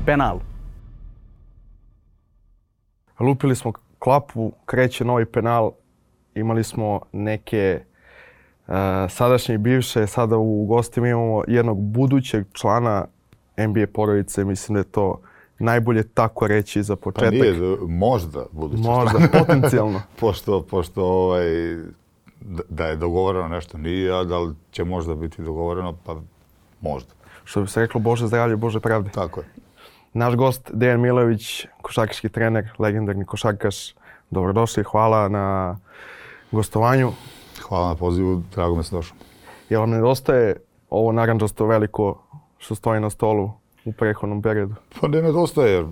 penal. Lupili smo klapu, kreće novi penal. Imali smo neke sadašnje i bivše. Sada u gostima imamo jednog budućeg člana NBA porodice. Mislim da je to najbolje tako reći za početak. Pa nije, možda budući. Možda, potencijalno. pošto da je dogovoreno nešto nije, a da li će možda biti dogovoreno, pa možda. Što bi se reklo, Bože zdravlje, Bože pravde. Tako je. Naš gost, Dejan Milojević, košarkaški trener, legendarni košarkaš. Dobrodošli, hvala na gostovanju. Hvala na pozivu, drago me se došao. Jel vam nedostaje ovo narandžasto veliko što stoji na stolu u prethodnom periodu? Pa ne nedostaje, jer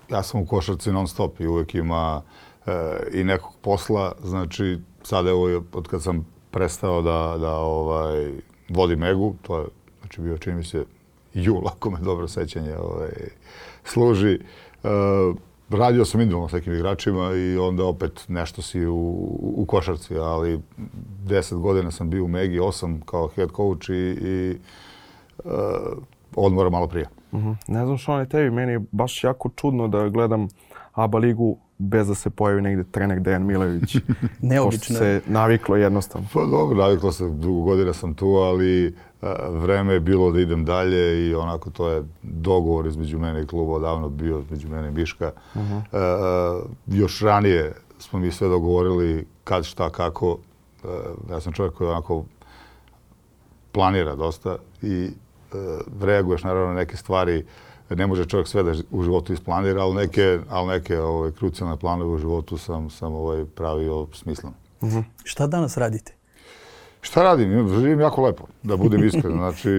ja sam u košarci non stop i uvijek ima i nekog posla. Znači, sada je od kad sam prestao da vodim Egu, to je znači bio, čini mi se, jul, ako me dobro sećanje služi. Radio sam individualno s nekim igračima i onda opet nešto si u košarci, ali 10 godina sam bio u Megi, 8 kao head coach i odmora malo prije. Ne znam što je tebi, meni je baš jako čudno da gledam ABA ligu bez da se pojavi negdje trener Dejan Milojević. Neobično. Pošto se naviklo jednostavno. Pa dobro, naviklo se, dugo godina sam tu, ali vreme je bilo da idem dalje i onako to je dogovor između mene i kluba odavno bio, između mene i Miška. Još ranije smo mi sve dogovorili kad, šta, kako. Ja sam čovjek koji onako planira dosta i reaguješ naravno na neke stvari. Ne može čovjek sve da u životu isplanira, ali neke krucijalne planove u životu sam pravio smisleno. Šta danas radite? Šta radim? Živim jako lepo, da budem iskren. Znači,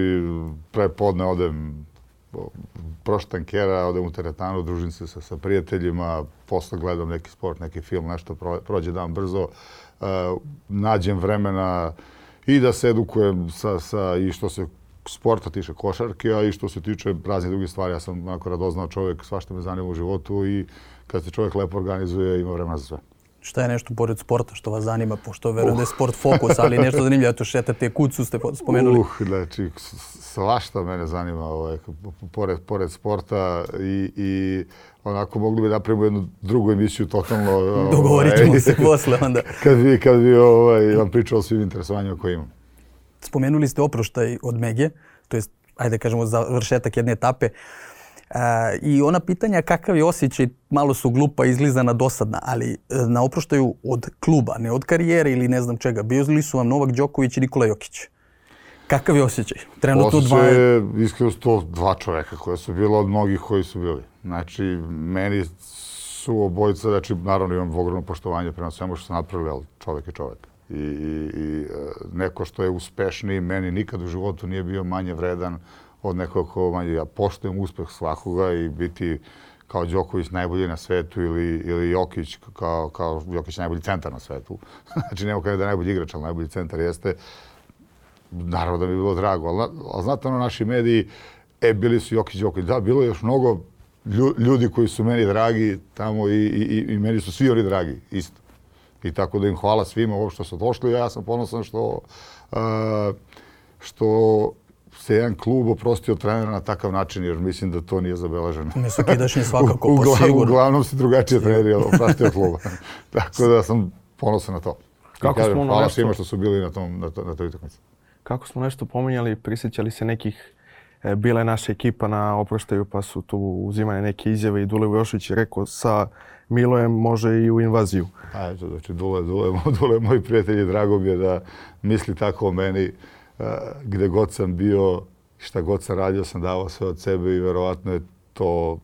prepodne odem prošle tankera, odem u teretanu, družim se sa prijateljima, posle gledam neki sport, neki film, nešto prođe dan brzo. Nađem vremena i da se edukujem i što se sporta tiče košarke, a i što se tiče raznih drugih stvari. Ja sam onako radoznao čovjek, svašta me zanima u životu i kad se čovjek lepo organizuje, ima vremena za sve. Šta je nešto pored sporta što vas zanima, pošto verujem da je sport fokus, ali nešto zanimljivo, to šetate kucu ste spomenuli. Znači, svašta mene zanima pored sporta i onako mogli bi napravimo jednu drugu emisiju totalno. Dogovorit ćemo se posle onda. Kad bi vam pričao o svim interesovanjima koje imam. Spomenuli ste oproštaj od Mege, to jest, ajde kažemo, završetak jedne etape. I ona pitanja kakav je osjećaj, malo su glupa, izlizana, dosadna, ali na oproštaju od kluba, ne od karijere ili ne znam čega. Bili su vam Novak Đoković i Nikola Jokić. Kakav je osjećaj? Trenutno osjećaj je iskreno 102 čoveka koja su bila od mnogih koji su bili. Znači, meni su obojica, znači, naravno imam ogromno poštovanje prema svemu što sam napravili, ali čovek je čovek. I neko što je uspešniji, meni nikad u životu nije bio manje vredan od nekog ko manje. Ja poštujem uspeh svakoga i biti kao Đoković najbolji na svetu ili Jokić kao Jokić najbolji centar na svetu. Znači, nema kada da je najbolji igrač, ali najbolji centar jeste. Naravno da mi je bilo drago, ali znate ono, naši mediji, bili su Jokić. Da, bilo je još mnogo ljudi koji su meni dragi tamo i meni su svi oni dragi, isto. I tako da im hvala svima ovo što su došli. Ja sam ponosan što se jedan klub oprostio trenera na takav način, jer mislim da to nije zabeleženo. Mesokidašnji svakako, po sigurno. Uglavnom si drugačije treneri oprostio kluba. Tako da sam ponosan na to. Hvala svima što su bili na toj utakmici. Kako smo nešto pominjali, prisjećali se nekih, bila je naša ekipa na oproštaju pa su tu uzimane neke izjave i Dule Vujošević je rekao sa Milojem može i u invaziju. Znači, Dule moj prijatelj i drago mi je da misli tako o meni. Gde god sam bio, šta god sam radio, sam davao sve od sebe i verovatno je to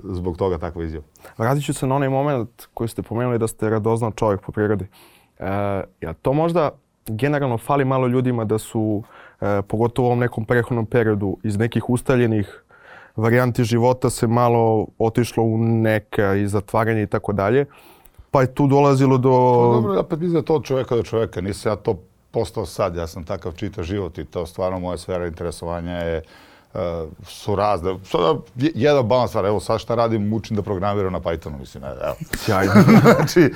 zbog toga takva izjava. Vratit ću se na onaj moment koji ste pomenuli da ste radoznao čovjek po prirodi. To možda generalno fali malo ljudima da su, pogotovo u ovom nekom prehodnom periodu, iz nekih ustaljenih varijanti života se malo otišlo u neka i zatvaranje i tako dalje. Pa je tu dolazilo do... Dobro, ja opet mislim da to od čovjeka do čovjeka. Nisam ja to postao sad. Ja sam takav čitav život i to stvarno moja sfera interesovanja su razne. Jedan balans stvar. Evo sad šta radim, učim da programiram na Pythonu. Mislim, evo. Sjajno. Znači,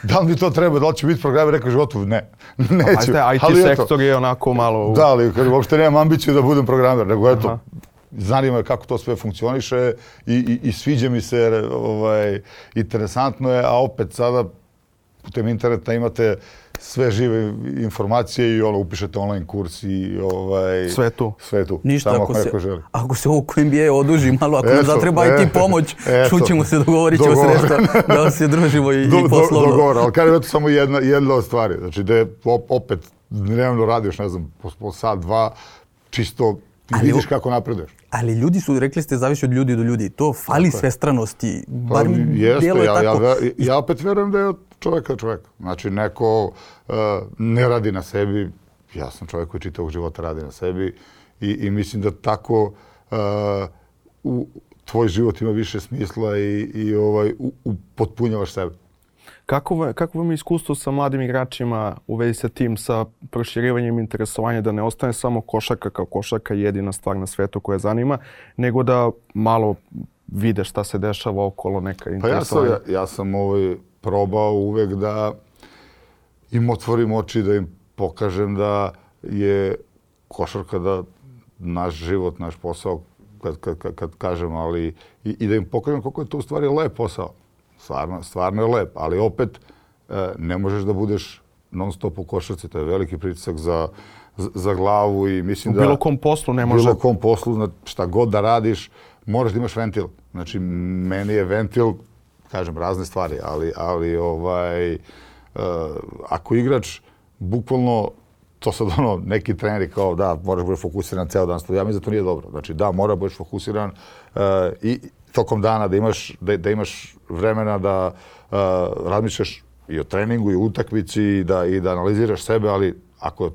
da li mi to treba, da li ću biti programer rekao u životu? Ne, neću. IT sektor je onako malo... Da, ali uopšte nemam ambiciju da budem programer, nego eto, zanima kako to sve funkcioniše i sviđa mi se, interesantno je, a opet sada putem interneta imate sve žive informacije i upišete online kurs i sve tu. Ništa, samo ako želi. Ako se ovo NBA oduži malo, ako nam zatreba i ti pomoć, čućemo se, dogovorit ćemo sredstva da se družimo i poslovno. Dogovor, ali kažem, eto samo jedna od stvari. Znači da je opet dnevno radiš, ne znam, po sat, dva, čisto vidiš kako napreduješ. Ali ljudi su, rekli ste, zavisi od ljudi do ljudi. To fali svestranosti. Bar djeluje tako. Ja opet verujem da je od čovjeka do čovjeka. Znači, neko ne radi na sebi. Ja sam čovjek koji čitavog života radi na sebi i mislim da tako tvoj život ima više smisla i upotpunjavaš sebe. Kako vam je iskustvo sa mladim igračima u vezi sa tim, sa proširivanjem interesovanja, da ne ostane samo košarka kao košarka jedina stvar na svijetu koja zanima, nego da malo vide šta se dešava okolo, neka interesovanja? Pa ja sam probao uvek da im otvorim oči, da im pokažem da je košarka da naš život, naš posao, kad kažem, ali i da im pokažem koliko je to u stvari lep posao. Stvarno je lep, ali opet ne možeš da budeš non stop u košarci. To je veliki pritisak za glavu i mislim da... U bilo kom poslu ne može... U bilo kom poslu, šta god da radiš, moraš da imaš ventil. Znači, meni je ventil, kažem, razne stvari, ali ako igrač, bukvalno, to sad neki treneri kao da, moraš biti fokusiran ceo dan. Ja mislim da to nije dobro. Znači, da, mora biti fokusiran i tokom dana da imaš vremena da razmišljaš i o treningu i o utakmici i da analiziraš sebe, ali ako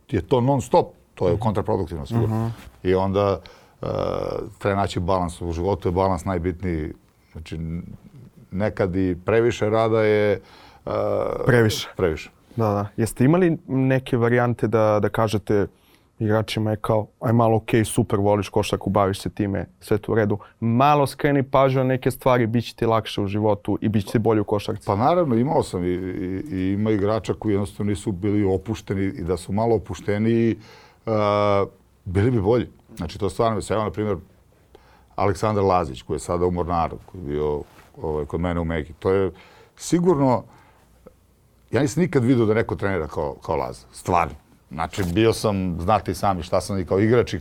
je to non stop, to je kontraproduktivno sigurno. I onda treba naći balans. U životu je balans najbitniji. Znači, nekad i previše rada je previše. Da. Jeste imali neke varijante da kažete igračima je kao, aj malo okej, super, voliš košarku, baviš se time, sve to u redu. Malo skreni pažnju na neke stvari, bit će ti lakše u životu i bit će ti bolje u košarci. Pa naravno, imao sam i ima igrača koji jednostavno nisu bili opušteni i da su malo opušteniji, bili bi bolji. Znači, to stvarno se, evo, na primjer, Aleksandar Lazić, koji je sada u Mornaru, koji je bio kod mene u Megi. To je sigurno, ja nisam nikad vidio da neko trenira kao Laza, stvarno. Znači, bio sam, znate i sami šta sam i kao igrač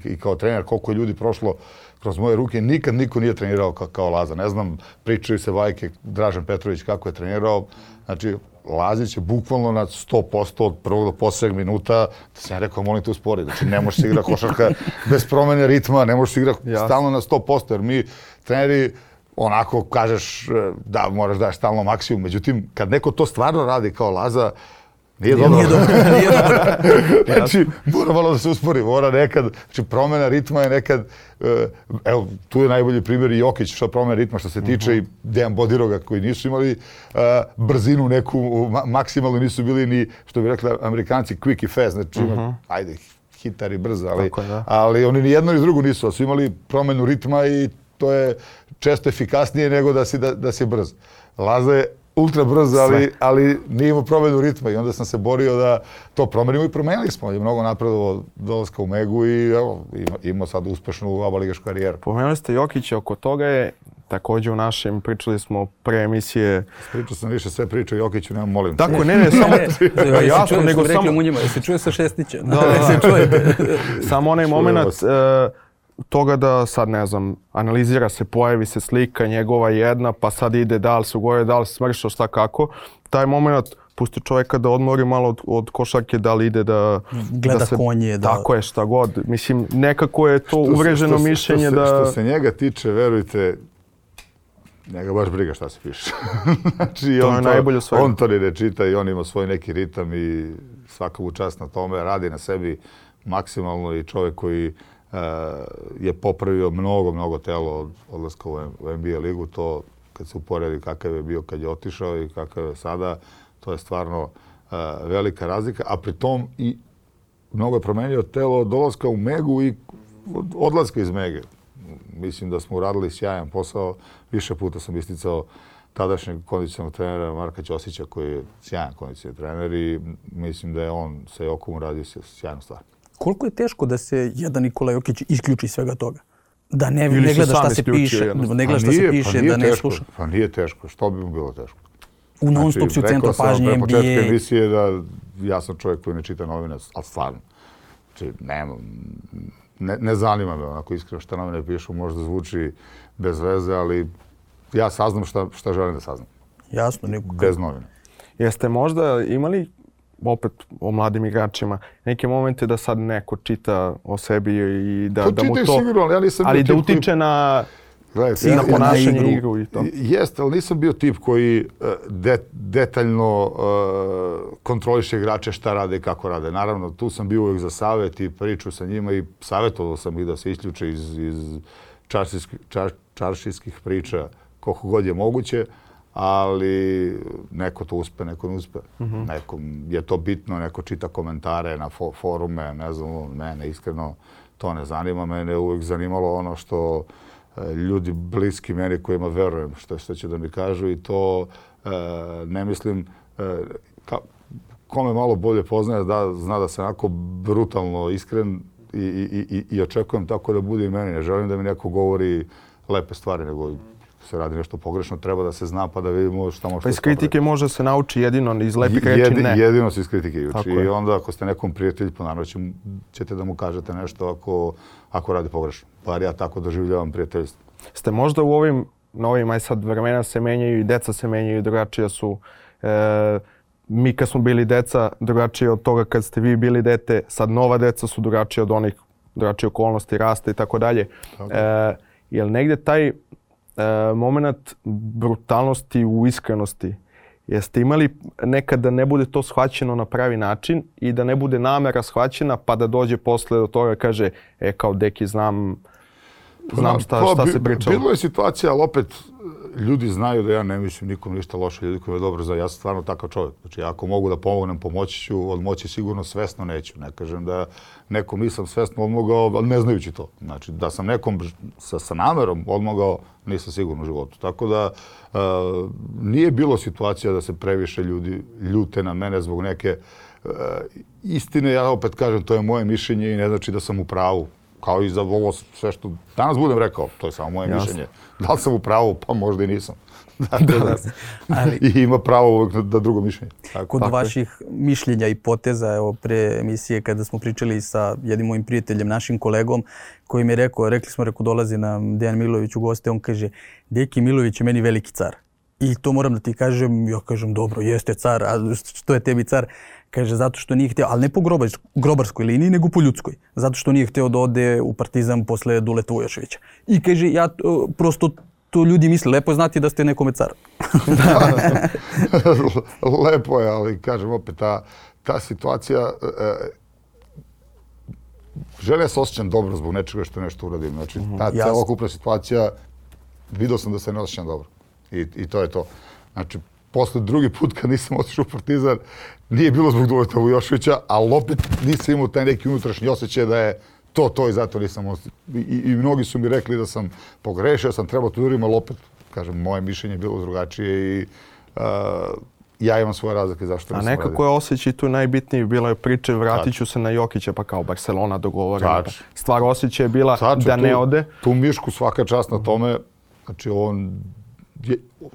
i kao trener, koliko je ljudi prošlo kroz moje ruke. Nikad niko nije trenirao kao Laza. Ne znam, pričaju se bajke, Dražen Petrović kako je trenirao. Znači, Lazić je bukvalno na 100% od prvog do posljednjeg minuta. Da sam ja rekao, molim te uspori. Znači, ne možeš se igrati košarka bez promjene ritma, ne možeš se igrati stalno na 100%. Jer mi, treneri, onako kažeš da moraš daš stalno maksimum. Međutim, kad neko to stvarno radi kao Laza, nije dobro. Znači, mora malo da se uspori, mora nekad, znači promjena ritma je nekad, evo, tu je najbolji primjer i Jokić što promjena ritma što se tiče i Dejan Bodiroga koji nisu imali brzinu neku, maksimalno nisu bili ni, što bi rekli Amerikanci, quick i fast, znači ajde, hitar i brz, ali oni ni jedno ni drugo nisu, ali su imali promjenu ritma i to je često efikasnije nego da si brz. Laza je ultra brzo, ali nije imao promjenu ritma i onda sam se borio da to promenimo i promenili smo. Je mnogo napredovao dolaska u Megu i evo, imao sad uspešnu abaligašku karijeru. Pomenuli ste Jokića, oko toga je također u našem, pričali smo pre emisije. Pričao sam više sve priče o Jokiću, nemam molim. Tako, ne, samo jasno, nego samo... Se čuje sa Šestića. Samo onaj moment toga da sad, ne znam, analizira se, pojavi se slika njegova jedna, pa sad ide da li se ugovorio, da li se smršao, šta kako. Taj moment pusti čovjeka da odmori malo od košarke, da li ide da... Gleda konje, da... Tako je, šta god. Mislim, nekako je to uvreženo mišljenje da... Što se njega tiče, verujte, njega baš briga šta se piše. Znači, to je najbolje svega. On to ne čita i on ima svoj neki ritam i svaka mu čast na tome, radi na sebi maksimalno i čovjek koji je popravio mnogo telo od odlaska u NBA ligu. To kad se uporedi kakav je bio kad je otišao i kakav je sada, to je stvarno velika razlika. A pri tom i mnogo je promenio telo od dolaska u Megu i odlaska iz Mege. Mislim da smo uradili sjajan posao. Više puta sam isticao tadašnjeg kondicionalnog trenera Marka Ćosića koji je sjajan kondicionalni trener i mislim da je on sa Jokom uradio sjajnu stvar. Koliko je teško da se jedan Nikola Jokić isključi svega toga? Da ne gleda šta se piše, ne gleda šta se piše, da ne sluša. Pa nije teško, što bi mu bilo teško? U non-stop si u centru pažnje, NBA. Rekao sam pre početka emisije da ja sam čovjek koji ne čita novine, ali stvarno. Znači, ne zanima me onako iskreno šta novine pišu, možda zvuči bez veze, ali ja saznam šta želim da saznam. Jasno. Bez novine. Jeste možda imali, opet o mladim igračima, neke momente da sad neko čita o sebi i da mu to... Sigurno, ali ja nisam ali da utiče na... I na ponašanje igru i to. Jeste, ali nisam bio tip koji detaljno kontroliše igrače šta rade i kako rade. Naravno, tu sam bio uvijek za savjet i priču sa njima i savjetovao sam ih da se isključe iz čaršijskih priča koliko god je moguće, ali neko to uspe, neko ne uspe. Nekom je to bitno, neko čita komentare na forume, ne znam, mene iskreno to ne zanima. Mene je uvijek zanimalo ono što ljudi bliski meni kojima verujem što će da mi kažu i to ne mislim, ko me malo bolje poznaje zna da sam onako brutalno iskren i očekujem tako da bude i meni. Ne želim da mi neko govori lepe stvari, nego se radi nešto pogrešno, treba da se zna pa da vidimo šta može. Pa iz kritike može se nauči jedino, iz lepih reči ne. Jedino se iz kritike uči. I onda ako ste nekom prijatelju, pa naravno ćete da mu kažete nešto ako radi pogrešno. Bar ja tako doživljavam prijateljstvo. Ste možda u ovim novim, aj sad vremena se menjaju i deca se menjaju, drugačije su. Mi kad smo bili deca, drugačije od toga kad ste vi bili dete, sad nova deca su drugačije od onih, drugačije okolnosti, rasta i tako dalje. Jel negdje taj moment brutalnosti u iskrenosti, jeste imali nekad da ne bude to shvaćeno na pravi način i da ne bude namera shvaćena pa da dođe posle do toga kaže kao deki znam šta se pričalo. Bilo je situacija, ali opet ljudi znaju da ja ne mislim nikom ništa loše, ljudi koji me dobro znaju. Ja sam stvarno takav čovjek. Znači, ako mogu da pomognem, pomoći ću, od moći sigurno svesno neću. Ne kažem da nekom nisam svesno odmogao, ali ne znajući to. Znači, da sam nekom sa namerom odmogao, nisam sigurno u životu. Tako da nije bilo situacija da se previše ljudi ljute na mene zbog neke istine. Ja opet kažem, to je moje mišljenje i ne znači da sam u pravu. Kao i za ovo sve što danas budem rekao, to je samo moje mišljenje. Da li sam u pravu? Pa možda i nisam. I ima pravo uvijek da drugo mišljenje. Kod vaših mišljenja i poteza, evo pre emisije kada smo pričali sa jednim mojim prijateljem, našim kolegom, koji mi je rekli smo, dolazi nam Dejan Milović u goste, on kaže, Deki Milović je meni veliki car. I to moram da ti kažem, ja kažem, dobro, jeste car, a što je tebi car? Kaže, zato što nije htio, ali ne po grobarskoj liniji, nego po ljudskoj. Zato što nije htio da ode u Partizan posle Duleta Vujoševića. I kaže, ja prosto to ljudi misle, lepo je znati da ste nekome car. Lepo je, ali kažem opet, ta situacija, želim se osjećam dobro zbog nečega što nešto uradim. Znači, ta celokupna situacija, vidio sam da se ne osjećam dobro. I to je to. Znači, posle drugi put kad nisam otišao u Partizan, nije bilo zbog Duleta Vujoševića, ali opet nisam imao taj neki unutrašnji osjećaj da je to i zato nisam ostao. I mnogi su mi rekli da sam pogrešio, sam trebao to uraditi, ali opet, kažem, moje mišljenje je bilo drugačije i ja imam svoje razlike zašto nisam radio. A nekako je osjećaj tu najbitniji, bila je priča, vratit ću se na Jokića, pa kao Barcelona dogovorena. Stvar osjećaj je bila da ne ode. Tu Mišku svaka čast na tome, znači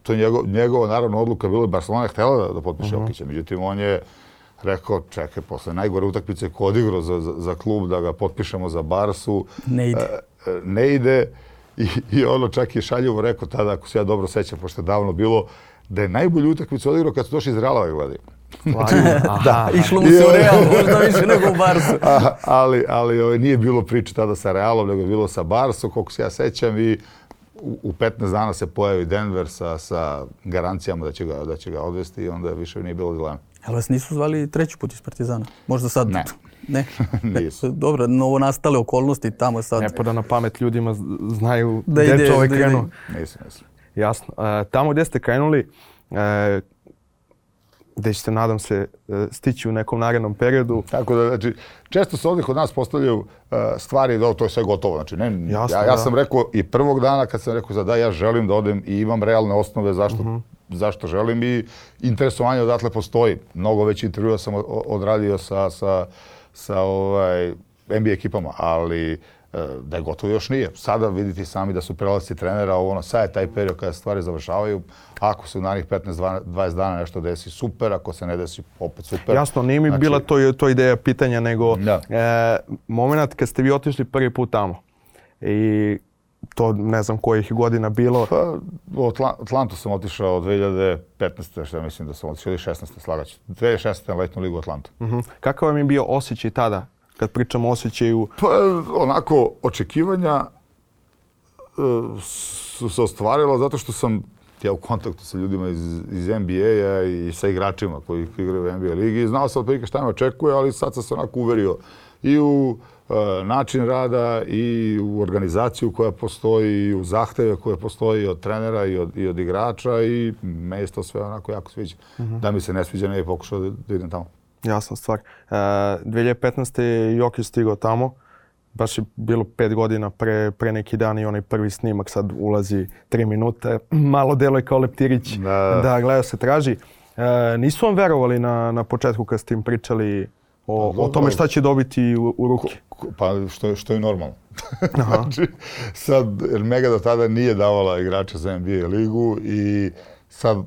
to je njegova naravno odluka bila, Barcelona je htjela da potpiše Jokića, međutim on je rekao, čekaj, posle najgore utakmice ko odigrao za klub da ga potpišemo za Barsu, ne ide i ono čak je šaljivo rekao tada, ako se ja dobro sećam, pošto je davno bilo, da je najbolju utakmicu odigrao kad su došli iz Realova gledaju. Da, išlo mu se u Real, možda više nego u Barsu. Ali nije bilo priče tada sa Realom, nego je bilo sa Barsom, koliko se ja sećam i u 15 dana se pojavi Denver sa garancijama da će ga odvesti i onda više nije bilo dilema. Ali vas nisu zvali treći put iz Partizana? Možda sad? Ne. Nisu. Dobro, novo nastale okolnosti tamo sad. Ne pada na pamet ljudima, znaju gdje čovjek krenuo. Nisam. Jasno. Tamo gdje ste krenuli, gdje ćete, nadam se, stići u nekom narednom periodu. Tako da, znači, često se ovdje kod nas postavljaju stvari da to je sve gotovo. Znači, ja sam rekao i prvog dana kad sam rekao da ja želim da odem i imam realne osnove zašto želim i interesovanje odatle postoji. Mnogo već intervjua sam odradio sa NBA ekipama, ali da je gotovo još nije. Sada vidite sami da su prelasci trenera, sad je taj period kada stvari završavaju. Ako se u narednih 15-20 dana nešto desi, super, ako se ne desi, opet super. Jasno, nije mi bila to ideja pitanja, nego moment kad ste vi otišli prvi put tamo i to ne znam kojih godina bilo. Pa, u Atlantu sam otišao od 2015. što ja mislim da sam otišao, ili 16. slagaću. 2016. na letnju ligu u Atlantu. Kakav vam je bio osjećaj tada, kad pričamo o osjećaju? Pa, onako, očekivanja su se ostvarila zato što sam ja u kontaktu sa ljudima iz NBA-a i sa igračima koji igraju u NBA ligi i znao sam otprilike šta me očekuje, ali sad sam se onako uverio i u način rada i u organizaciju koja postoji i u zahteve koje postoji od trenera i od igrača i meni se to sve onako jako sviđa. Da mi se ne sviđa, ne bih pokušao da idem tamo. Jasna stvar. 2015. je Jokić stigao tamo. Baš je bilo 5 godina pre neki dan i onaj prvi snimak sad ulazi 3 minute. Malo deluje kao leptirić da gleda se traži. Nisu vam verovali na početku kad ste im pričali o tome šta će dobiti u ruke? Pa što je normalno. Znači, sad, jer Mega do tada nije davala igrača za NBA ligu i sad,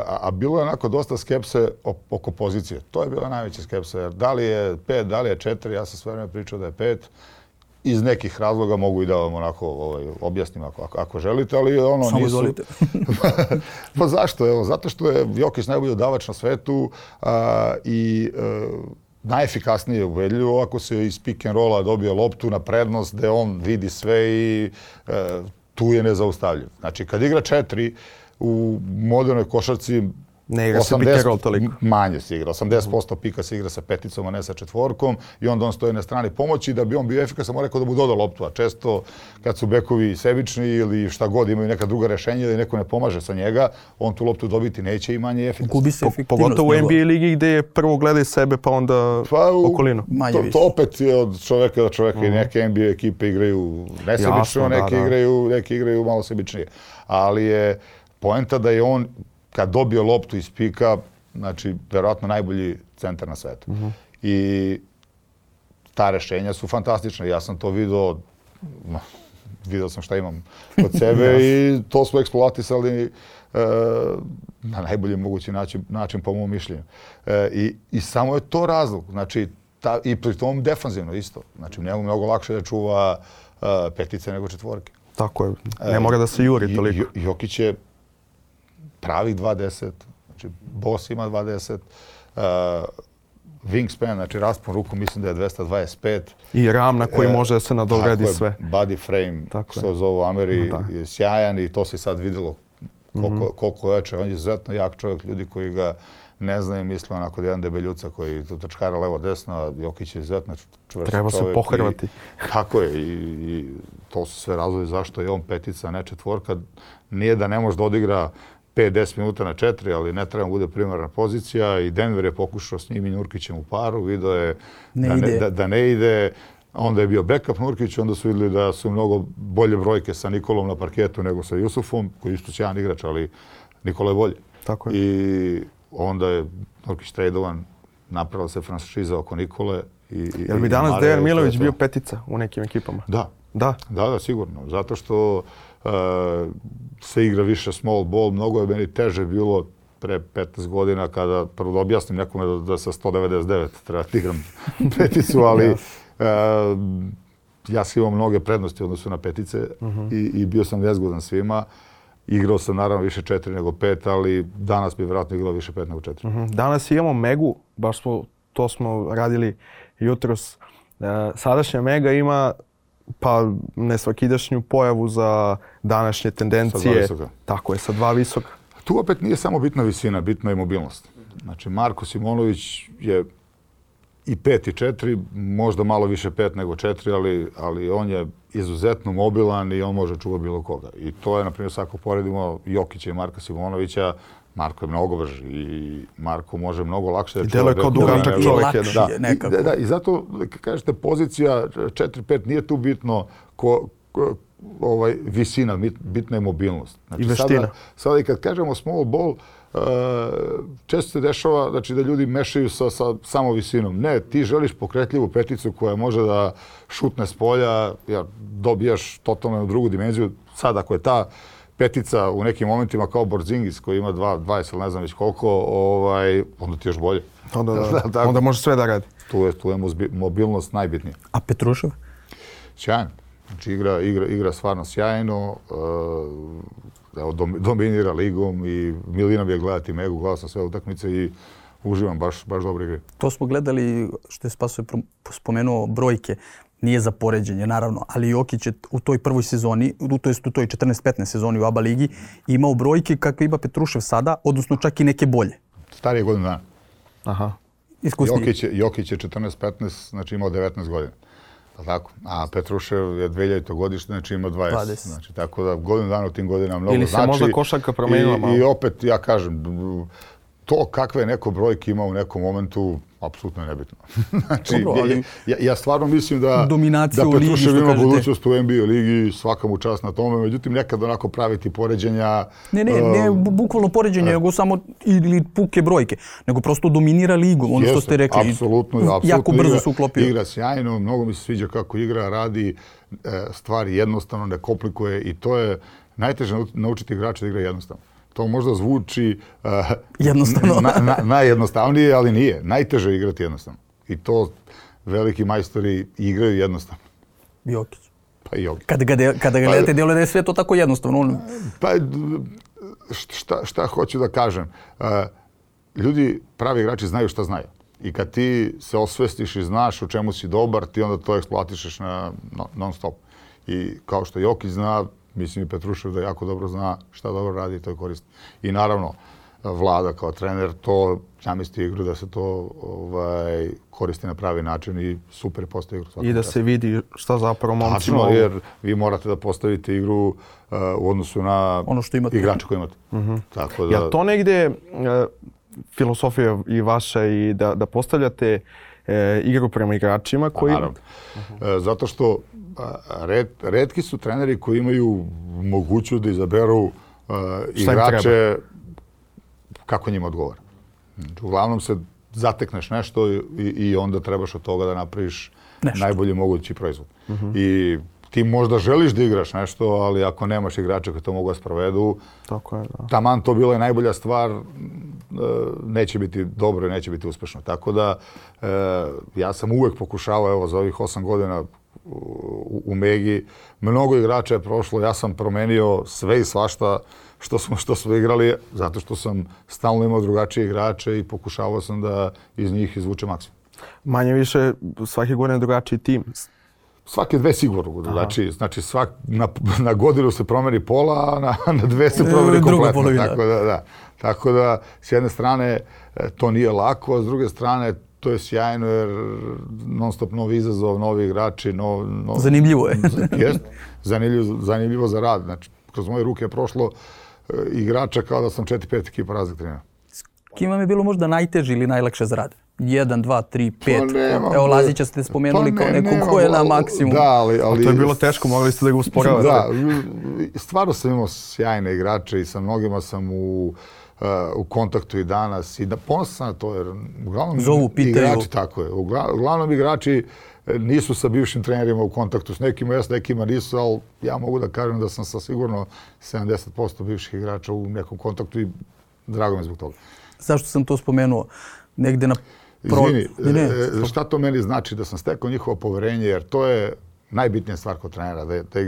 a bilo je onako dosta skepse oko pozicije. To je bila najveća skepsa, jer da li je 5, da li je 4, ja sam sve vreme pričao da je 5. Iz nekih razloga mogu i da vam onako objasnim ako želite, ali ono samo nisu... Samo izvolite. Pa zašto? Evo, zato što je Jokić najbolji udavač na svetu i najefikasnije ubedljivo ako se iz pick and rolla dobije loptu na prednost gde on vidi sve i tu je nezaustavljiv. Znači, kad igra 4 u modernoj košarci, ne igra se pick and roll toliko. Manje se igra. 80% pika se igra sa peticom, a ne sa četvorkom i onda on stoji na strani pomoći. Da bi on bio efikasan, mora neko da mu doda loptu. A često kad su bekovi sebični ili šta god imaju neka druga rešenja ili neko ne pomaže sa njega, on tu loptu dobiti neće i manje je efikasan. Gubi se efektivnost. Pogotovo u NBA ligi gdje je prvo gledaj sebe pa onda okolinu. To opet je od čoveka do čoveka i neke NBA ekipe igraju nesebično, neki igraju malo sebičnije. Ali je poenta da je on kad dobio loptu iz pika, znači, verovatno najbolji centar na svetu. I ta rešenja su fantastična. Ja sam to video sam šta imam kod sebe i to smo eksploatisali na najbolji mogući način po mom mišljenju. I samo je to razlog. Znači, i pri tom defanzivno isto. Znači, njemu mnogo lakše da čuva petice nego četvorke. Tako je. Ne mora da se juri toliko. Jokić je pravih 2.10, znači Boss ima 2.10, wingspan, znači raspon ruku mislim da je 225. I ram na koji može da se nadogradi sve. Body frame, što zovu Ameri, je sjajan i to se sad vidjelo koliko jače. On je izuzetno jak čovjek, ljudi koji ga ne znaju, misle onako da jedan debeljuca koji trčkara levo-desno, a Jokić je izuzetno čvrst čovjek. Treba se pohrvati. Tako je i to su sve razlozi zašto je on petica, a ne četvorka. Nije da ne može da odigra 5-10 minuta na 4, ali ne treba bude primarna pozicija i Denver je pokušao s njim i Nurkićem u paru, vidio je da ne ide. Onda je bio backup Nurkić, onda su vidjeli da su mnogo bolje brojke sa Nikolom na parketu nego sa Jusufom, koji je isto sjajan igrač, ali Nikola je bolje. Tako je. I onda je Nurkić tradovan, napravila se franšiza oko Nikole. Jel bi danas Dejan Milović bio petica u nekim ekipama? Da, sigurno. Zato što se igra više small ball. Mnogo je meni teže bilo pre 15 godina kada prvo da objasnim nekome da sa 199 treba da igram peticu, ali ja sam imao mnoge prednosti u odnosu na petice i bio sam nezgodan svima. Igrao sam naravno više 4 nego 5, ali danas bi vjerojatno igrao više 5 nego 4. Danas imamo Megu, baš to smo radili jutros. Sadašnja Mega ima pa nesvakidašnju pojavu za današnje tendencije. Sa 2 visoka. Tako je, sa 2 visoka. Tu opet nije samo bitna visina, bitna je mobilnost. Znači, Marko Simonović je i 5 i 4, možda malo više 5 nego 4, ali on je izuzetno mobilan i on može čuvati bilo koga. I to je, na primjer, ako poredimo Jokića i Marka Simonovića, Marko je mnogo brži i Marko može mnogo lakše da čuva. I deluje kao dugačak čovjek. Da, i zato, kad kažete pozicija 4-5, nije tu bitno visina, bitna je mobilnost. Znači, i veština. Sada i kad kažemo small ball, često se dešava znači, da ljudi mešaju sa samo visinom. Ne, ti želiš pokretljivu peticu koja može da šutne s polja, jer dobijaš totalno drugu dimenziju. Sad, ako je ta petica u nekim momentima kao Porzingis koji ima 20 ili ne znam već koliko, onda ti još bolje. Onda može sve da radi. Tu je mobilnost najbitnija. A Petrušev? Sjajan. Znači igra stvarno sjajno. Dominira ligom i milina bi je gledati Megu, gledao sam sve utakmice i uživam, baš dobro igre. To smo gledali, što je Spaso spomenuo, brojke. Nije za poređenje, naravno, ali Jokić je u toj prvoj sezoni, to jest u toj 14-15 sezoni u ABA ligi, imao brojke kakve ima Petrušev sada, odnosno čak i neke bolje. Starije godinu dana. Aha. Iskusniji. Jokić je 14-15, znači imao 19 godina. Tako? A Petrušev je 2000. godište, znači ima 20. Znači, tako da godinu dana u tim godinama mnogo znači. Ili se možda košarka promenila malo. I opet, ja kažem, to kakve neko brojke ima u nekom momentu, apsolutno je nebitno. Znači, dobro, ali ja stvarno mislim da Petrušev ima budućnost u NBA ligi, svaka mu čast na tome, međutim nekad onako praviti poređenja... Ne bukvalno poređenje, nego samo ili puke brojke, nego prosto dominira ligu, ono što ste rekli. Apsolutno, jako brzo se uklopio. Igra sjajno, mnogo mi se sviđa kako igra, radi stvari jednostavno, ne komplikuje i to je najteže naučiti igrača da igra jednostavno. To možda zvuči najjednostavnije, ali nije. Najteže je igrati jednostavno. I to veliki majstori igraju jednostavno. Jokić. Pa i Jokić. Kada ga gledate, djeluje da je sve to tako jednostavno. Pa šta hoću da kažem? Ljudi, pravi igrači znaju šta znaju. I kad ti se osvestiš i znaš u čemu si dobar, ti onda to eksploatišeš non stop. I kao što Jokić zna, mislim i Petrušev da jako dobro zna šta dobro radi i to je korisno. I naravno, Vlada kao trener, to zamisli igru da se to koristi na pravi način i super postavi igru. I da se vidi šta zapravo momci mogu. Tačno, jer vi morate da postavite igru u odnosu na igrače koje imate. Tako da... Ja to negde filosofija i vaša i da postavljate igru prema igračima koji... Naravno. Zato što retki su treneri koji imaju mogućnost da izaberu igrače kako njima odgovara. Uglavnom se zatekneš nešto i onda trebaš od toga da napraviš najbolji mogući proizvod. I ti možda želiš da igraš nešto, ali ako nemaš igrača koji to mogu da sprovedu, taman to bila je najbolja stvar, neće biti dobro i neće biti uspešno. Tako da ja sam uvek pokušavao, evo za ovih 8 godina u Megi, mnogo igrača je prošlo, ja sam promenio sve i svašta što smo igrali, zato što sam stalno imao drugačije igrače i pokušavao sam da iz njih izvučem maksimum. Manje više svake godine drugačiji tim? Svake dve sigurno. Znači na godinu se promeni pola, a na dve se promeni kompletno. Tako da, s jedne strane, to nije lako, a s druge strane, to je sjajno jer non stop novi izazov, novi igrači. Zanimljivo je. Jest, zanimljivo za rad. Znači, kroz moje ruke je prošlo igrača kao da sam 4-5 ekipa razlik trenera. S kim vam je bilo možda najteže ili najlakše za rad? 1, 2, 3, 5. Evo Lazića ste spomenuli kao neko ko je na maksimum. Da, ali to je bilo teško, mogli ste da ga usporavate. Da, stvarno sam imao sjajne igrače i sa mnogima sam u kontaktu i danas. I ponosan sam na to jer uglavnom igrači tako je. Uglavnom igrači nisu sa bivšim trenerima u kontaktu. S nekima s nekima nisu, ali ja mogu da kažem da sam sa sigurno 70% bivših igrača u nekom kontaktu i drago mi zbog toga. Zašto sam to spomenuo? Negde na... Izvini, šta to meni znači da sam stekao njihovo poverenje, jer to je najbitnija stvar kod trenera,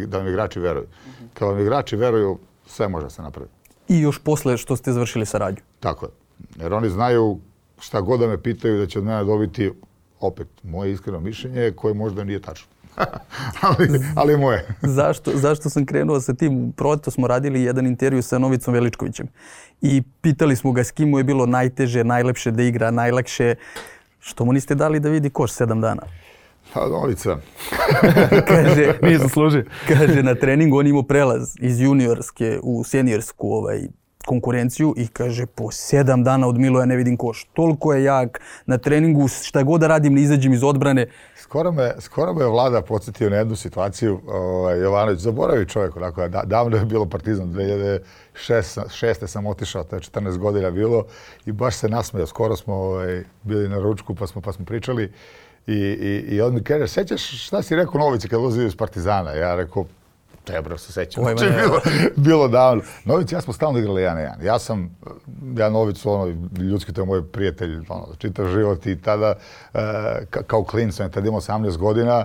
da vam igrači veruju. Kad vam igrači veruju, sve može se napraviti. I još posle što ste završili saradnju. Tako je. Jer oni znaju šta god da me pitaju da će od mene dobiti, opet, moje iskreno mišljenje koje možda nije tačno. ali moje. Zašto sam krenuo sa tim? Proleto smo radili jedan intervju sa Novicom Veličkovićem i pitali smo ga s kim mu je bilo najteže, najlepše da igra, najlakše. Što mu niste dali da vidi koš 7 dana? Pa Novica. Kaže, nije zaslužio. Kaže, na treningu on imao prelaz iz juniorske u seniorsku konkurenciju i kaže po 7 dana od Miloja ne vidim koš. Toliko je jak na treningu, šta god da radim ne izađem iz odbrane. Skoro me Vlada podsjetio na jednu situaciju. Jovanović, zaboravi čovjek, onako, davno je bilo Partizan, 2006. sam otišao, to je 14 godina bilo i baš se nasmejao. Skoro smo bili na ručku pa smo pričali i on mi kaže, sećaš šta si rekao Novici kad ulazio iz Partizana? Ja rekao, tebro se sećam, znači bilo davno. Nović, ja smo stalno igrali 1-1. Ja Novicu, ljudski, to je moj prijatelj, čitav život i tada, kao klinac, on je tada imao 18 godina,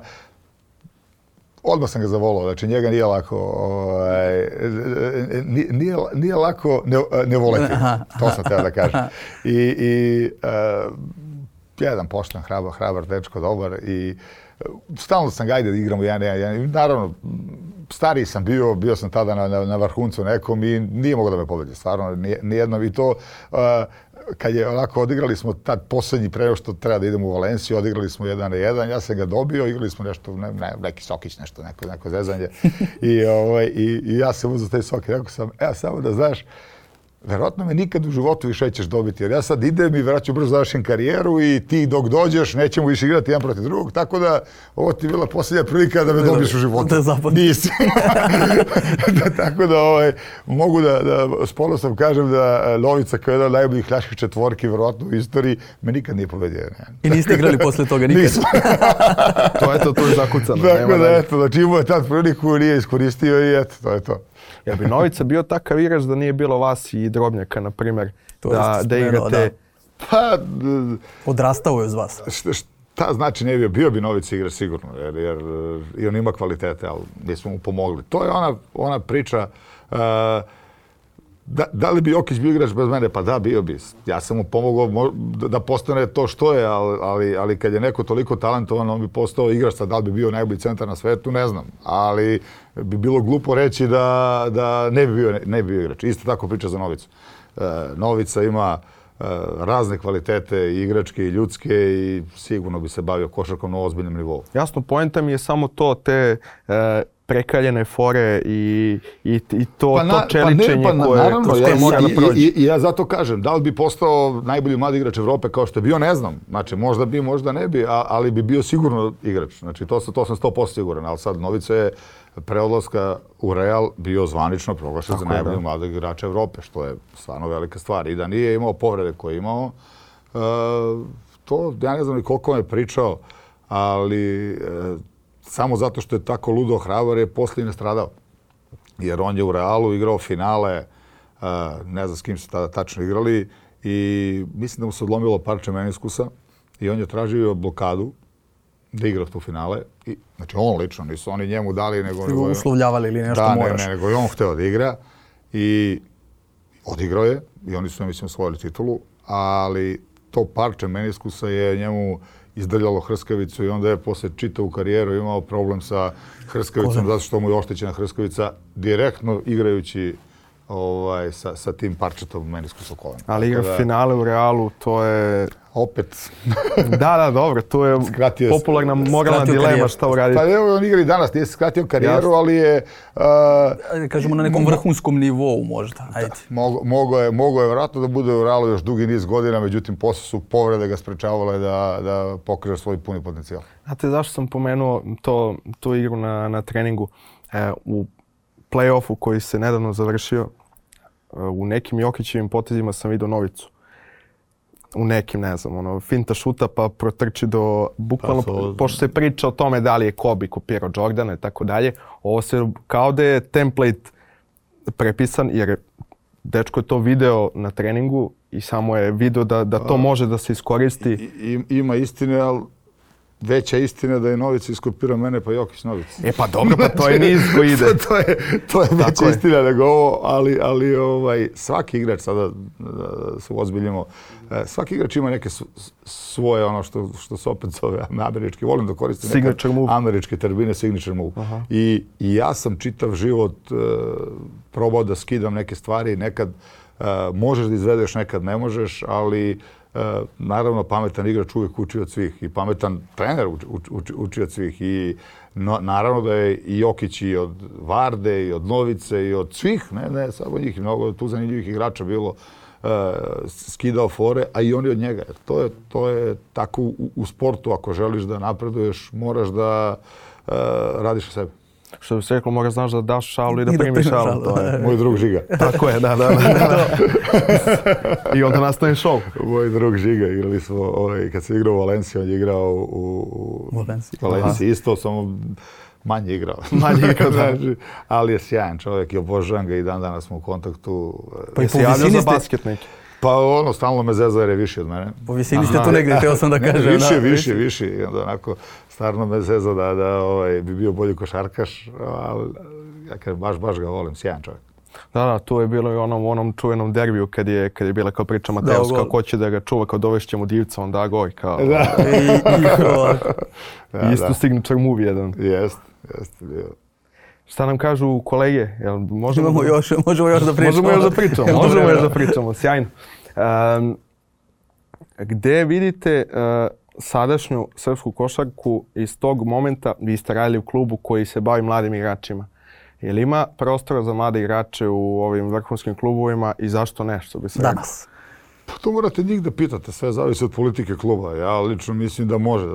odmah sam ga zavolao, znači njega nije lako ne voleti, to sam teo da kažem. I jedan pošten, hrabar dečko, dobar i stalno sam ga ajde da igramo 1-1. Naravno, stariji sam bio sam tada na vrhuncu nekom i nije mogao da me pobedi, stvarno, nijedno. I to, kad je onako odigrali smo tad posljednji pre što treba da idemo u Valenciju, odigrali smo 1-1, ja sam ga dobio, igrali smo nešto, neki sokić, neko zezanje. I ja sam uzeo taj sok i rekao sam, samo da znaš, verovatno me nikad u životu više nećeš dobiti, jer ja sad idem i vjerojatno brzo završim karijeru i ti dok dođeš nećemo više igrati jedan protiv drugog, tako da ovo ti je bila posljednja prilika da me dobiješ u životu. Nisi. Tako da mogu da s ponosom kažem da Novica kao jedan od najboljih ljaških četvorki vjerojatno u istoriji me nikad nije pobedio. I niste igrali posle toga nikad? Nismo. To je zakucano. Tako da eto, znači imao je tad priliku, nije iskoristio i eto, to je to. Ja bi Novica bio takav igrač da nije bilo vas i Drobnjaka, na primjer, da igrate... Pa... Odrastao je uz vas. Šta znači ne bio bi Novica igrač sigurno, jer i on ima kvalitete, ali nismo mu pomogli. To je ona priča, da li bi Jokić bio igrač bez mene? Pa da, bio bi. Ja sam mu pomogao da postane to što je, ali kad je neko toliko talentovan, on bi postao igrač. Da li bi bio najbolji centar na svetu, ne znam. Ali bi bilo glupo reći da ne bi bio igrač. Isto tako priča za Novicu. Novica ima razne kvalitete, igračke i ljudske i sigurno bi se bavio košarkom na ozbiljnom nivou. Jasno, poenta mi je samo to, te prekaljene fore i to čeličenje koje mora da prođe. I ja zato kažem, da li bi postao najbolji mladi igrač Evrope kao što je bio, ne znam. Znači, možda bi, možda ne bi, ali bi bio sigurno igrač. Znači, to sam 100% siguran, ali sad Novica je pre odlaska u Real bio zvanično proglašen za najboljeg mladog igrača Evrope, što je stvarno velika stvar. I da nije imao povrede koje je imao, to ja ne znam ni koliko me pričao, ali samo zato što je tako ludo hrabar je poslije nastradao. Jer on je u Realu igrao finale, ne znam s kim su tada tačno igrali, i mislim da mu se odlomilo parče meniskusa i on je tražio blokadu da igra tu finale. Znači on lično, nisu oni njemu dali, nego uslovljavali ili nešto moraš. Ne, nego je on hteo da igra i odigrao je i oni su, mislim, osvojili titulu, ali to parče meniskusa je njemu izdrljalo hrskavicu i onda je posle čitavu karijeru imao problem sa hrskavicom zato što mu je oštećena hrskavica direktno igrajući sa tim parčetom meniskusa kolena. Ali igra finale u Realu, to je... Opet. Da, dobro, to je popularna moralna dilema šta uraditi. Pa evo, on igra i danas, nije se skratio karijeru, ali je... Kažemo na nekom vrhunskom nivou možda. Mogao je vjerojatno da bude u Realu još dugi niz godina, međutim, posle su povrede ga sprečavale da pokriže svoj puni potencijal. Znate zašto sam pomenuo tu igru na treningu? U play-offu koji se nedavno završio, u nekim Jokićevim potezima sam vidio Novicu. U nekim, ne znam, finta šuta pa protrči do, bukvalno, pošto se priča o tome da li je Kobe kopirao Jordana i tako dalje, ovo se kao da je template prepisan, jer dečko je to video na treningu i samo je video da to može da se iskoristi. Ima istine, ali veća istina da je Novica iskopirao mene, pa Jokić Novica. Pa dobro, pa to je niz koji ide. to je veća istina nego ovo, ali svaki igrač, sada da se ozbiljimo, svaki igrač ima neke svoje, ono što se opet zove američki, volim da koristim neke američke termine, signature move. I ja sam čitav život probao da skidam neke stvari, nekad možeš da izvedeš, nekad ne možeš, ali naravno, pametan igrač uvijek uči od svih i pametan trener uči od svih. I naravno da je i Jokić i od Varde i od Novice i od svih, ne samo njih, mnogo tu zanimljivih igrača bilo, skidao fore, a i oni od njega. To je tako u sportu, ako želiš da napreduješ, moraš da radiš o sebi. Što bi se reklo, moraš znaš da daš šalu i da primiš šalu. To je moj drug Žiga. Tako je, da. I onda nastane show. Moj drug Žiga, igrali smo, kad se igrao u Valenciji, on je igrao u Valenciji isto, samo manje igrao. Da. Ali je sjajan čovjek i obožavam ga i dan danas smo u kontaktu. Pa i po visini za basket neki. Pa stalno me zeza jer je viši od mene. Po visini ste tu negdje, htio sam da kažem. Viši. I onda onako, stvarno me zeza da bi bio bolji košarkaš, ali ja kažem, baš ga volim, sjajan čovjek. Da, tu je bilo i onom čuvenom derbiju kad je bila kao priča Mateovska, ko će da ga čuva, kao dovešćemo divca, on da goj, kao... Isto signature movie jedan. Jeste bio. Šta nam kažu kolege? Možemo još da pričamo. Možemo još da pričamo, sjajno. Gde vidite sadašnju srpsku košarku iz tog momenta? Vi ste radili u klubu koji se bavi mladim igračima. Je li ima prostora za mlade igrače u ovim vrhunskim klubovima i zašto ne, što bi se rekao? Danas. Pa to morate njih da pitate, sve zavisi od politike kluba. Ja lično mislim da može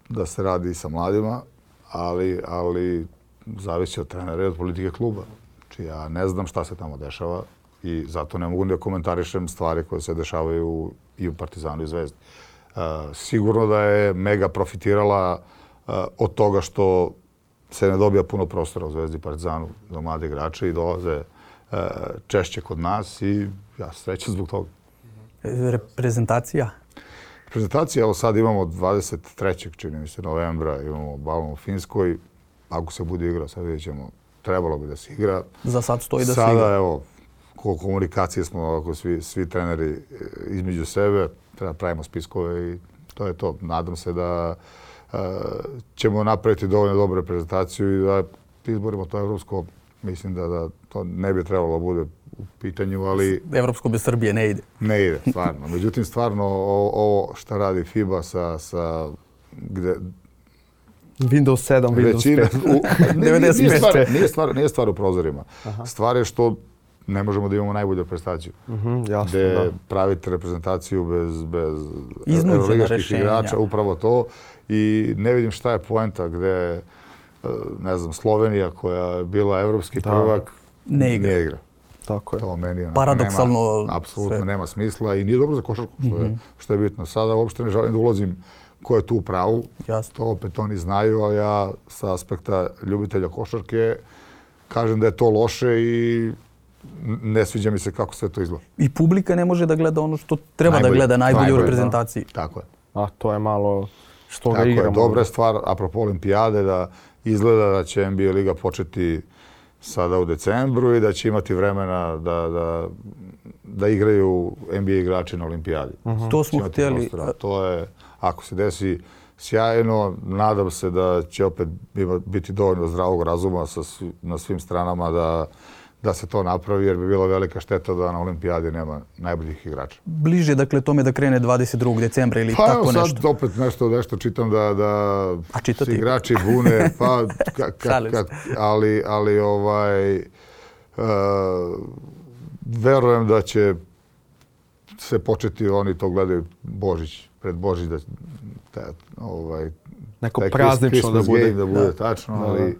da se radi i sa mladima, ali zavisi od trenera i od politike kluba. Znači ja ne znam šta se tamo dešava i zato ne mogu da komentarišem stvari koje se dešavaju i u Partizanu i Zvezdi. Sigurno da je Mega profitirala od toga što se ne dobija puno prostora u Zvezdi i Partizanu za mlade igrače i dolaze češće kod nas i ja srećan zbog toga. Reprezentacija? Reprezentacija, evo sad imamo 23. čini mi se novembra, imamo balon u Finskoj. Ako se bude igrao, sad vidjet ćemo, trebalo bi da se igra. Za sad stoji da se igra. Sada, evo, komunikacije smo ovako svi treneri između sebe, treba pravimo spiskove i to je to. Nadam se da ćemo napraviti dovoljno dobru reprezentaciju i da izborimo to evropsko. Mislim da to ne bi trebalo da bude u pitanju, ali... Evropsko bez Srbije ne ide. Ne ide, stvarno. Međutim, stvarno, ovo šta radi FIBA sa gde... Windows 7, Windows 5. Nije stvar u prozorima. Stvar je što ne možemo da imamo najbolju reprezentaciju. Gde pravite reprezentaciju bez euroligaških igrača, upravo to. I ne vidim šta je poenta gde, ne znam, Slovenija koja je bila evropski prvak, ne igra. Tako je. To meni paradoksalno apsolutno nema smisla i nije dobro za košarku, što je bitno. Sada uopšte ne želim da ulazim ko je tu u pravu. To opet oni znaju, ali ja sa aspekta ljubitelja košarke kažem da je to loše i ne sviđa mi se kako sve to izgleda. I publika ne može da gleda ono što treba da gleda najbolje u reprezentaciji. Tako je. A to je malo što ga igramo. Tako je, dobra je stvar, apropo olimpijade, da izgleda da će NBA liga početi sada u decembru i da će imati vremena da igraju NBA igrači na olimpijadi. To smo htjeli. To je, ako se desi, sjajno. Nadam se da će opet biti dovoljno zdravog razuma na svim stranama da se to napravi, jer bi bila velika šteta da na olimpijadi nema najboljih igrača. Bliže, dakle, tome da krene 22. decembra ili tako nešto? Pa sad opet nešto čitam da se igrači bune, ali verujem da će se početi, oni to gledaju pred Božić, neko praznično da bude tačno, ali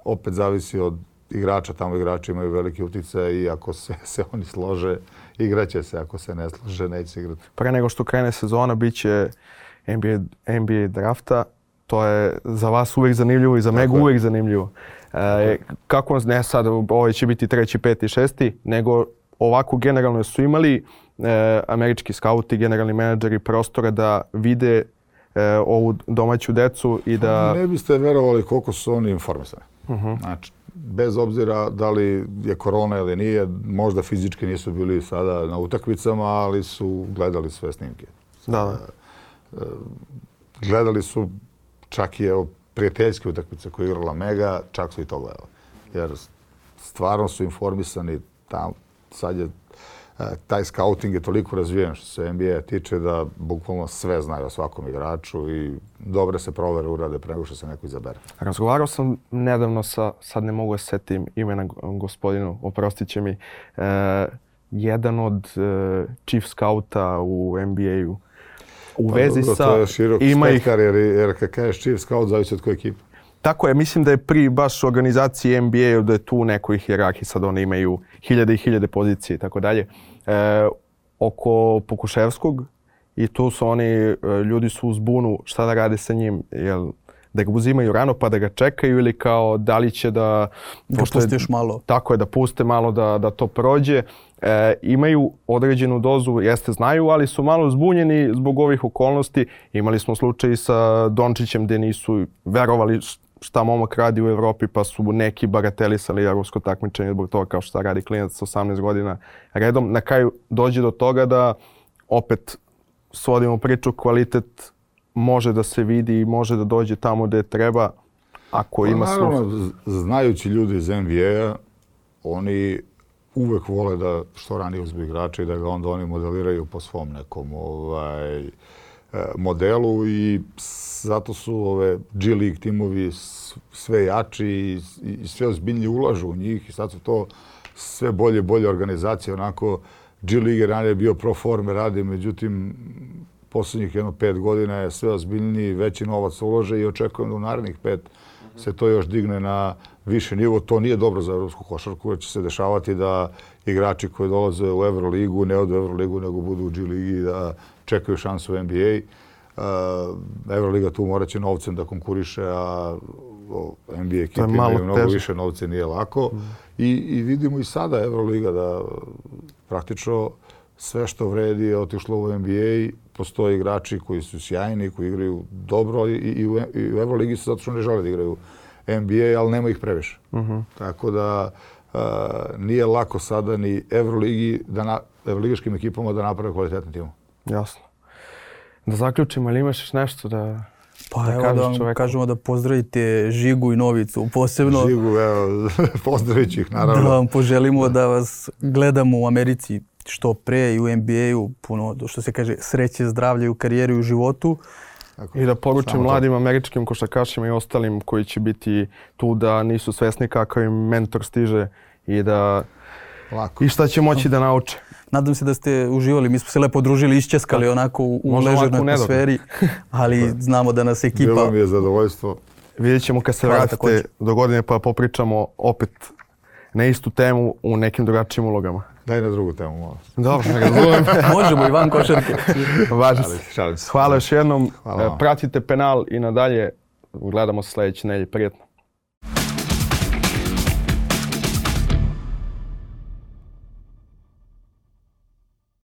opet zavisi od igrača, tamo igrači imaju veliki uticaj i ako se oni slože, igraće se, ako se ne slože, neće se igrati. Pre nego što krene sezona, bit će NBA drafta, to je za vas uvijek zanimljivo i za Megu uvijek zanimljivo. Kako, ne sad, ovo će biti 3., 5., 6., nego ovako generalno su imali američki skauti, generalni menadžeri prostora da vide ovu domaću decu i da... Ne biste verovali koliko su oni informisani. Znači, bez obzira da li je korona ili nije, možda fizički nisu bili sada na utakmicama, ali su gledali sve snimke. Gledali su čak i prijateljske utakmice koje je igrala Mega, čak su i to gledali. Jer stvarno su informisani tam. Sad je taj scouting je toliko razvijen što se NBA tiče da bukvalno sve znaju o svakom igraču i dobre se provere urade pre nego što se neko izabere. Razgovarao sam nedavno sad ne mogu da setim imena gospodinu, oprostit će mi, jedan od chief scouta u NBA-u. U vezi sa... To je širok spektar jer kad kažeš chief scout zavisi od koje ekipe. Tako je, mislim da je pri baš organizaciji NBA-u da je tu nekoj hijerarhiji, sad oni imaju hiljade i hiljade pozicije i tako dalje. Oko Pokuševskog i tu su oni, ljudi su u zbunu šta da rade sa njim, jel da ga uzimaju rano pa da ga čekaju ili kao da li će da... Da pustiš malo. Tako je, da puste malo da to prođe. Imaju određenu dozu, jeste znaju, ali su malo zbunjeni zbog ovih okolnosti. Imali smo slučaj sa Dončićem gdje nisu verovali šta momak radi u Evropi pa su neki bagatelisali evropsko takmičenje zbog toga kao šta radi klinac sa 18 godina redom. Na kraju dođe do toga da opet svodimo priču, kvalitet može da se vidi i može da dođe tamo gdje treba ako ima sluha. Naravno, znajući ljudi iz NBA-a, oni uvek vole da što ranije uzmu igrača i da ga onda oni modeliraju po svom nekom modelu i zato su ove G League timovi sve jači i sve ozbiljnije ulažu u njih i sad su to sve bolje organizacije. Onako, G League je ranije bio pro forme radi, međutim, posljednjih 5 godina je sve ozbiljniji, veći novac ulože i očekujem da u narednih 5 se to još digne na više nivo. To nije dobro za evropsku košarku, jer će se dešavati da igrači koji dolaze u Euroligu ne odu u Euroligu, nego budu u G Ligi da čekaju šansu u NBA. Euroliga tu morat će novcem da konkuriše, a NBA ekipe imaju mnogo više novce, nije lako. I vidimo i sada Euroliga da praktično sve što vredi je otišlo u NBA. Postoje igrači koji su sjajni, koji igraju dobro i u Euroligi su zato što ne žele da igraju NBA, ali nema ih previše. Tako da nije lako sada ni Euroligaškim ekipama da naprave kvalitetni tim. Jasno. Da zaključimo, ali imaš nešto da... Pa evo da vam kažemo da pozdravite Žigu i Novicu, posebno... Žigu, evo, pozdravit ću ih, naravno. Da vam poželimo da vas gledamo u Americi što pre i u NBA-u, puno, što se kaže, sreće, zdravlje u karijeri i u životu. I da poručim mladim američkim košarkašima i ostalim koji će biti tu da nisu svesni kakav im mentor stiže i da... Lako. I šta će moći da nauče. Nadam se da ste uživali, mi smo se lepo družili, iščeskali onako u ležernoj atmosferi, ali znamo da nas ekipa... Bilo mi je zadovoljstvo. Vidjet ćemo kad se vratite do godine pa popričamo opet na istu temu u nekim drugačijim ulogama. Daj na drugu temu, malo. Dobro, ne razumem. Možemo i van košarke. Važi se. Hvala još jednom. Pratite Penal i nadalje. Gledamo se sljedeće nedelje. Prijetno.